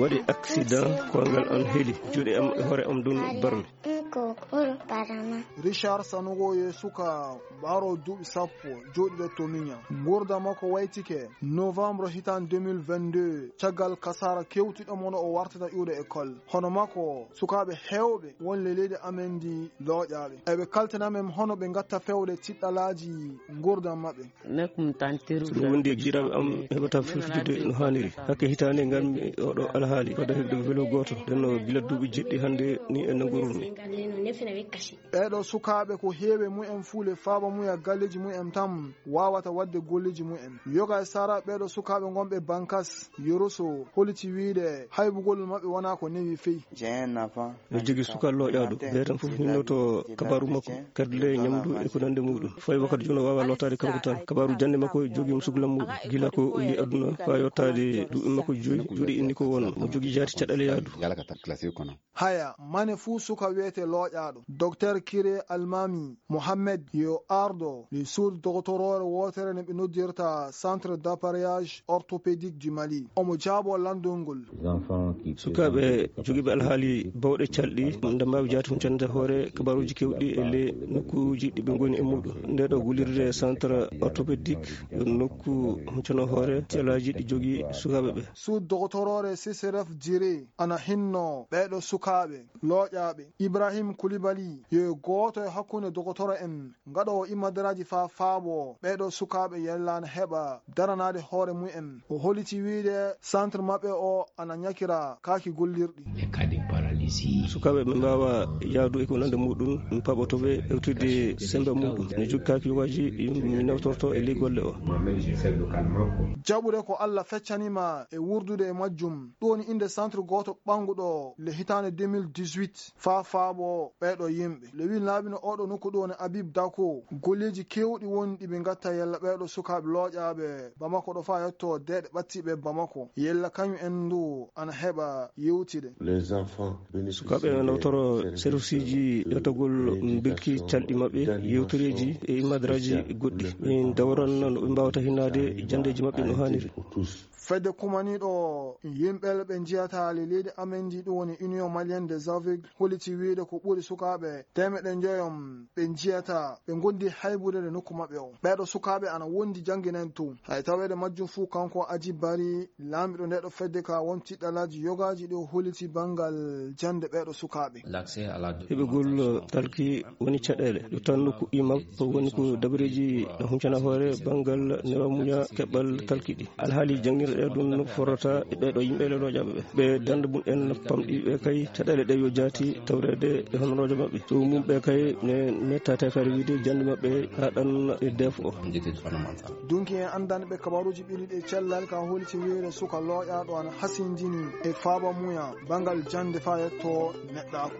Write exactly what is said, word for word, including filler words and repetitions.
Waɗi accident, koyngal am heli, juuɗe am e hoore am ɗum barmi. Richard Sanogo yo suka ɓaaro duuɓi sappo, jooɗiiɗo to Miña. Nguurndam makko waytike novembre hitaan deux mille vingt-deux, caggal kasaara kewtiiɗo mo no o wartata iwde école. Hono makko, sukaaɓe heewɓe won le leydi amen ndi looƴaaɓe. Eɓe kaltana men hono ɓe ngatta feewde tiɗɗalaaji nguurndam maɓɓe. Nekum tantiru. So ɗum wondi e giɗaɓe am heɓata fiftude no haaniri. Hakke hitaande nganmi oɗo alhaali, wadda heɓde ko welo gooto. Nden no gila duuɓi jeɗɗi hannde ni en nangurumi. Ɓeeɗo sukaaɓe ko heewe mumen fuule faaba muya galleeji mumen tan waawata waɗde golleeji mumen. Yoga e Sara ɓeeɗo sukaaɓe ngonɓe Bankas, Yoroso, holiti wiide haybugol maɓɓe wonaa ko newi fey. J'ai un enfant. Eɗo jogii suka looƴaaɗo. Ɓe tan fof hinnoto kabaaru makko, kadi le ñamdu e ko nande muɗum. Fawi wakkati jooni o waawa lootaade kanko tan. Kabaaru jannde makko jogii mo suklam muɗum. Gila ko o yi aduna faa yottaade duuɓi makko joyi, juuɗe inni ko won. Mo jogii jaati caɗeele yaadu. Haya, mane fuu suka wiyete looƴaaɗo. Docteur Kire Almami Mohamed yo ardo le suudu dogotoroore wootere nde ɓe noddirta Centre d'appareillage orthopédique du Mali. Omo jaabo lanndol ngol. Sukaaɓe jogiiɓe alhaali bawɗe calɗi, nde mbaawi jaati hum cannde hoore kabaaruuji keewɗi e le nokkuuji ɗi ɓe ngoni e muɗum. Nde ɗo gullirde centre orthopédique yo nokku hum cano hoore calaaji ɗi jogii sukaaɓe ɓe. Suudu dogotoroore C C R F Jire ana hinno ɓeeɗo sukaaɓe looƴaaɓe. Ibrahim Koulibaly yo gooto e hakkunde dogotoro en ngaɗoowo imadaraaji faa faabo ɓeeɗo sukaaɓe yellaana heɓa daranaade hoore mumen. O holiti wiide centre maɓɓe o ana ñakira kaaki gollirɗi. Sukaaɓe ɓe mbaawa yaadu e ko nande muɗum, mi paɓoto ɓe ewtude semmbe muɗum. Ne jogii kaaki yogaaji ɗi mi nawtorto e ley golle o. Jaɓude ko Allah feccani ma e wuurdude e majjum. Ɗum woni innde centre gooto ɓannguɗo le hitaande deux mille dix-huit. Faa faabo ɓeeɗo yimɓe. Le winnaaɓe no oɗo nokku ɗo ne Habib Dako. Golleeji keewɗi woni ɗi ɓe ngatta yalla ɓeeɗo sukaaɓe looƴaaɓe Bamako ɗo faa yetto deeɗe ɓattiiɓe Bamako. Yalla kañum en ndu ana heɓa yewtide. Sukaaɓe nawtoro serviceeji ƴettagol mbirki calɗi maɓɓe, yewtoreeji e imadaraaji goɗɗi. Min dawran no ɓe mbaawata hinnaade janndeeji maɓɓe no haaniri. Fedde kumaniiɗo yimɓe ɓe njiyata le leydi amen ndi ɗum woni Union Malienne des Aveugles holiti wiide ko ɓuri sukaaɓe teemeɗɗe njoyom ɓe njiyata ɓe ngondi haybude nokku maɓɓe o. Ɓeeɗo sukaaɓe ana wondi jannginande to. Hay taweede majjum fuu kanko Aji Bari laamiɗo ndeɗo fedde ka won tiɗɗalaaji yogaaji ɗi o holiti banngal jannde ɓeeɗo sukaaɓe. Heɓugol talki woni caɗeele. Ɗo tan nokku imam ko woni ko dabareeji huncana hoore banngal newa muña keɓal talki ɗi. Alhaali janngirɗe ɗum no forrata e ɓeeɗo yimɓe le looƴaaɓe ɓe. Ɓe dannde mum en pamɗi ɓe kay caɗeele ɗe yo jaati tawreede e honoroojo maɓɓe. So mum ɓe kay ne mettaate kadi wiide jannde maɓɓe haa ɗan e def o. Dunki en anndanɓe kabaruuji ɓili ɗe cellal ka holiti wiide suka looƴaaɗo ana hasindini e faaba muya banngal jannde faa yetto neɗɗaaku.